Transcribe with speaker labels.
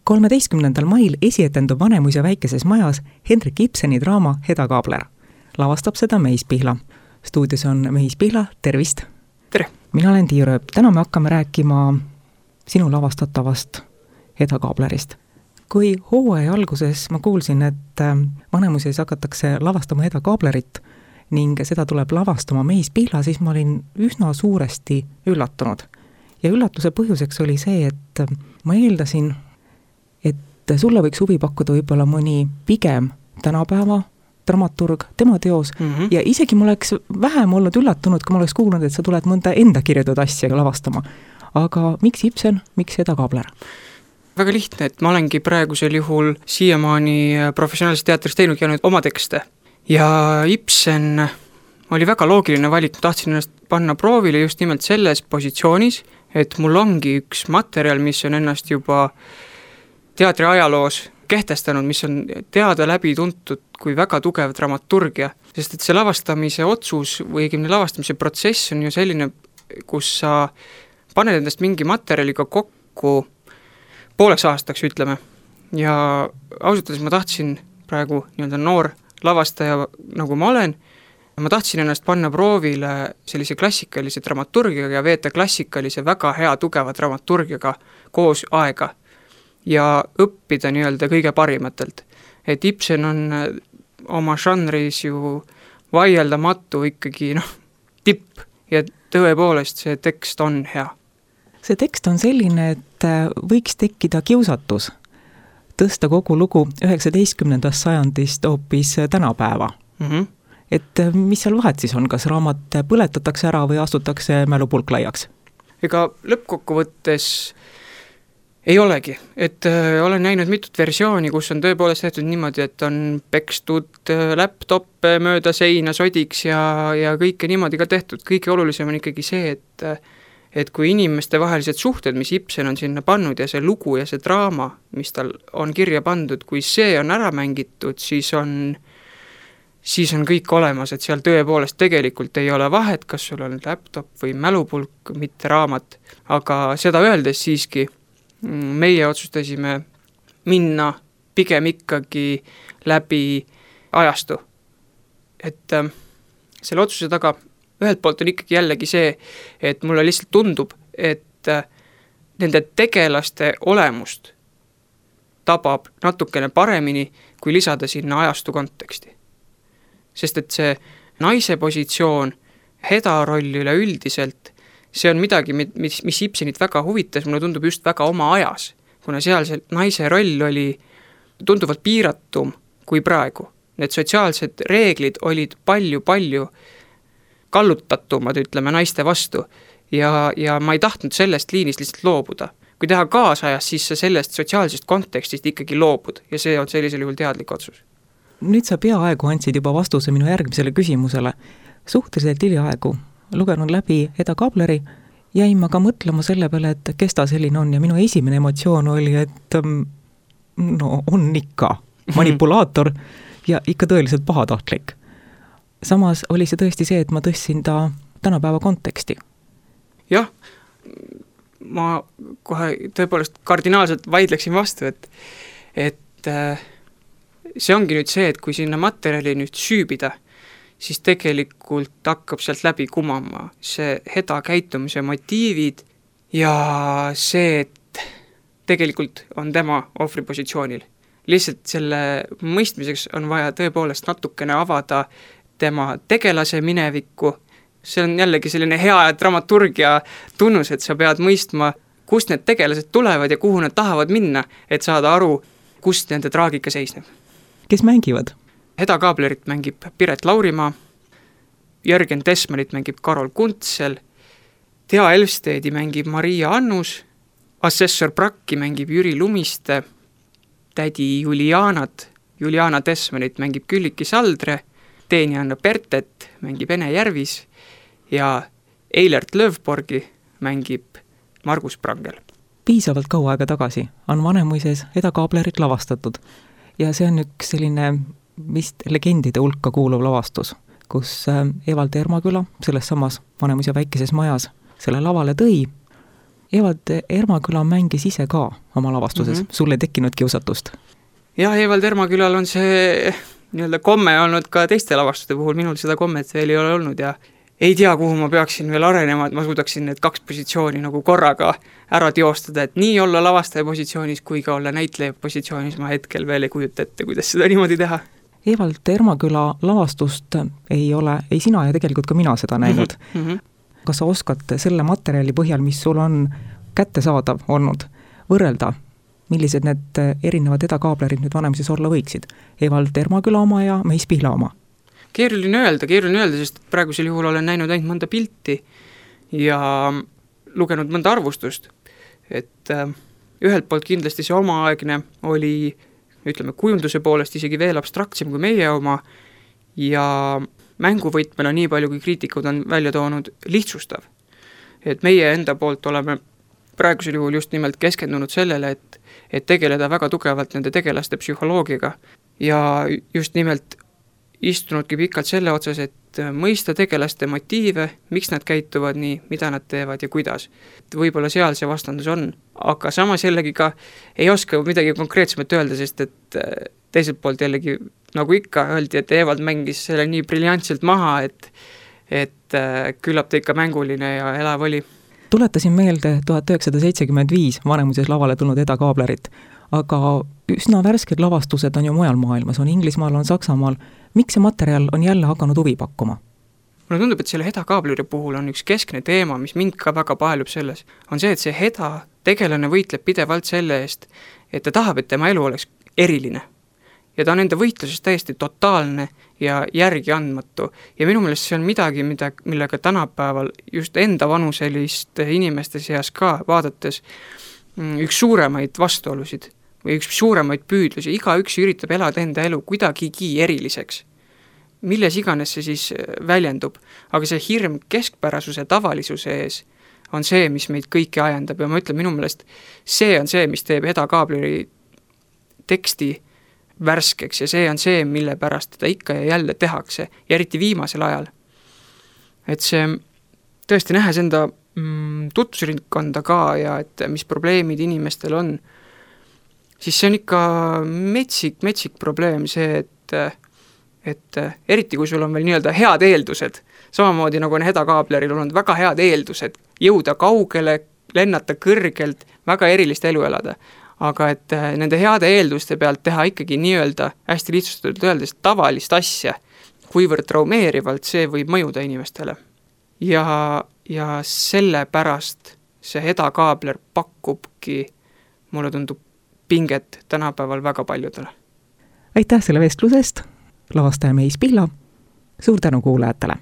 Speaker 1: 13. mail esietendub Vanemuise väikeses majas Henrik Ibseni draama Hedda Gabler. Lavastab seda Meis Pihla. Stuudios on Meis Pihla, tervist!
Speaker 2: Tere!
Speaker 1: Mina olen Tiia Rööp. Täna me hakkame rääkima sinu lavastatavast Hedda Gablerist. Kui hooaja alguses ma kuulsin, et Vanemuises hakatakse lavastama Hedda Gablerit ning seda tuleb lavastama Meis Pihla, siis ma olin üsna suuresti üllatunud. Ja üllatuse põhjuseks oli see, et ma eeldasin, et sulle võiks huvi pakkuda võib-olla mõni pigem tänapäeva dramaturg, tema teos, ja isegi ma oleks vähem olnud üllatunud, kui ma oleks kuulnud, et sa tuled mõnda enda kirjutatud asja lavastama. Aga miks Ibsen, miks Hedda Gabler?
Speaker 2: Väga lihtne, et ma olengi praegusel juhul siiamaani professionaalses teatris teinud ja nüüd oma tekste. Ja Ibsen oli väga loogiline valik, tahtsin ennast panna proovile just nimelt selles positsioonis, et mul ongi üks materjal, mis on ennast juba teatri ajaloos kehtestanud, mis on teada läbi tuntud kui väga tugev dramaturgia, sest et see lavastamise otsus või õigemini lavastamise protsess on ju selline, kus sa paned endast mingi materjaliga kokku pooleks aastaks, ütleme. Ja ausalt öeldes ma tahtsin praegu nii-öelda noor lavastaja, nagu ma olen, ma tahtsin ennast panna proovile sellise klassikalise dramaturgiaga ja veeta klassikalise väga hea tugeva dramaturgiaga koos aega ja õppida nii-öelda kõige parimatelt. Et Ibsen on oma žanris ju vaieldamatu ikkagi tipp ja tõepoolest see tekst on hea.
Speaker 1: See tekst on selline, et võiks tekkida kiusatus tõsta kogu lugu 19. sajandist hoopis tänapäeva. Et mis seal vahet siis on, kas raamat põletatakse ära või astutakse mälupulk laiaks?
Speaker 2: Ega lõppkokkuvõttes ei olegi, et olen näinud mitut versiooni, kus on tõepoolest tehtud niimoodi, et on pekstud laptop mööda seina sodiks ja kõike niimoodi ka tehtud. Kõige olulisem on ikkagi see, et kui inimeste vahelised suhted, mis Ibsen on sinna pannud ja see lugu ja see draama, mis tal on kirja pandud, kui see on ära mängitud, siis on kõik olemas, et seal tõepoolest tegelikult ei ole vahet, kas sul on laptop või mälupulk, mitte raamat, aga seda öeldes siiski meie otsustasime minna pigem ikkagi läbi ajastu. Et selle otsuse taga ühelt poolt on ikkagi jällegi see, et mulle lihtsalt tundub, et nende tegelaste olemust tabab natukene paremini, kui lisada sinna ajastu konteksti. Sest et see naise positsioon, Hedda roll üleüldiselt, see on midagi, mis Ibsenit väga huvitas, mulle tundub just väga oma ajas, kuna seal see naise roll oli tunduvalt piiratum kui praegu. Need sotsiaalsed reeglid olid palju kallutatumad, ütleme, naiste vastu ja ma ei tahtnud sellest liinist lihtsalt loobuda. Kui teha kaasajas, siis sa sellest sotsiaalsest kontekstist ikkagi loobud ja see on sellisel juhul teadlik otsus.
Speaker 1: Nüüd sa peaaegu andsid juba vastuse minu järgmisele küsimusele. Suhteliselt hiljaaegu lugenud läbi Hedda Gableri, jäin ma ka mõtlema selle peale, et kes ta selline on ja minu esimene emotsioon oli, et on ikka manipulaator ja ikka tõeliselt pahatahtlik. Samas oli see tõesti see, et ma tõstsin ta tänapäeva konteksti.
Speaker 2: Jah, ma kohe tõepoolest kardinaalselt vaidleksin vastu, et see ongi nüüd see, et kui sinna materjali nüüd süübida, siis tegelikult hakkab sealt läbi kumama see Hedda käitumise motiivid ja see, et tegelikult on tema ohvripositsioonil. Lihtsalt selle mõistmiseks on vaja tõepoolest natukene avada tema tegelase minevikku. See on jällegi selline hea dramaturgia tunnus, et sa pead mõistma, kust need tegelased tulevad ja kuhu nad tahavad minna, et saada aru, kust nende traagika seisneb.
Speaker 1: Kes mängivad?
Speaker 2: Hedda Gablerit mängib Piret Laurimaa, Jörgen Tesmanit mängib Karol Kuntsel, Thea Elfstedi mängib Maria Annus, assessor Brakki mängib Jüri Lumiste, tädi Juliana Tesmanit mängib Külliki Saldre, Teenjanna Pertet mängib Ene Järvis ja Eilert Löfborgi mängib Margus Prangel.
Speaker 1: Piisavalt kaua aega tagasi on Vanemuises Hedda Gablerit lavastatud ja see on üks selline vist legendide hulka kuuluv lavastus, kus Evald Ermaküla selles samas Vanemuise väikeses majas selle lavale tõi Evald Ermaküla mängis ise ka oma lavastuses, sul ei tekkinud kiusatust?
Speaker 2: Jah, Evald Ermakülal on see nii-öelda komme olnud ka teiste lavastuste puhul, minul seda kommet veel ei ole olnud ja ei tea, kuhu ma peaksin veel arenema, et ma suudaksin need 2 positsiooni nagu korraga ära teostada, et nii olla lavastaja positsioonis kui ka olla näitleja positsioonis, ma hetkel veel ei kujuta ette, kuidas seda niimoodi teha.
Speaker 1: Evald Ermaküla lavastust ei ole, ei sina ja tegelikult ka mina seda näinud. Kas sa oskad selle materjali põhjal, mis sul on kättesaadav olnud, võrrelda, millised need erinevad edakaablerid nüüd Vanemuises olla võiksid? Evald Ermaküla oma ja Meis Pihla oma?
Speaker 2: Keeruline öelda, sest praegusel juhul olen näinud ainult mõnda pilti ja lugenud mõnda arvustust. Et ühelt poolt kindlasti see omaaegne oli, ütleme, kujunduse poolest isegi veel abstraktsem kui meie oma ja mänguvõtmena nii palju, kui kriitikud on välja toonud, lihtsustav. Et meie enda poolt oleme praegusel juhul just nimelt keskendunud sellele, et tegeleda väga tugevalt nende tegelaste psühholoogiaga ja just nimelt istunudki pikalt selle otsas, et mõista tegelaste motiive, miks nad käituvad nii, mida nad teevad ja kuidas. Võib-olla seal see vastandus on, aga samas jällegi ka ei oska midagi konkreetsemat öelda, sest et teiselt poolt jällegi, nagu ikka öeldi, et Evald mängis selle nii briljantselt maha, et küllap ta ikka mänguline ja elav oli.
Speaker 1: Tuletasin meelde 1975 Vanemuises lavale tulnud edakaablerit, aga üsna värsked lavastused on ju mujal maailmas, on Inglismaal, on Saksamaal. Miks see materjal on jälle hakanud huvi pakkuma?
Speaker 2: Mulle tundub, et selle edakaableri puhul on üks keskne teema, mis mind ka väga paelub selles, on see, et see heda tegelane võitleb pidevalt selle eest, et ta tahab, et tema elu oleks eriline. Ja ta on enda võitluses täiesti totaalne ja järgi andmatu. Ja minu meelest see on midagi, millega tänapäeval just enda vanuselist inimeste seas ka vaadates üks suuremaid vastuolusid või üks suuremaid püüdlusi. Igaüks üritab elada enda elu kuidagigi eriliseks. Milles iganes see siis väljendub, aga see hirm keskpärasuse tavalisuse ees on see, mis meid kõiki ajendab ja ma ütlen, minu meelest see on see, mis teeb edakaableri teksti värskeks ja see on see, mille pärast teda ikka ja jälle tehakse ja eriti viimasel ajal. Et see tõesti nähes enda tutvusringkonda ka ja et mis probleemid inimestel on, siis see on ikka metsik probleem see, et eriti kui sul on veel nii-öelda head eeldused, samamoodi nagu on edakaableril olnud väga head eeldused, jõuda kaugele, lennata kõrgelt, väga erilist elu elada. Aga et nende heade eelduste pealt teha ikkagi nii-öelda, hästi lihtsustatult öeldes, tavalist asja, kuivõrd traumeerivalt see võib mõjuda inimestele. Ja selle pärast see edakaabler pakubki, mulle tundub, pinget tänapäeval väga paljudele.
Speaker 1: Aitäh selle vestlusest, lavastaja Meis Pihla, suur tänu kuulajatele!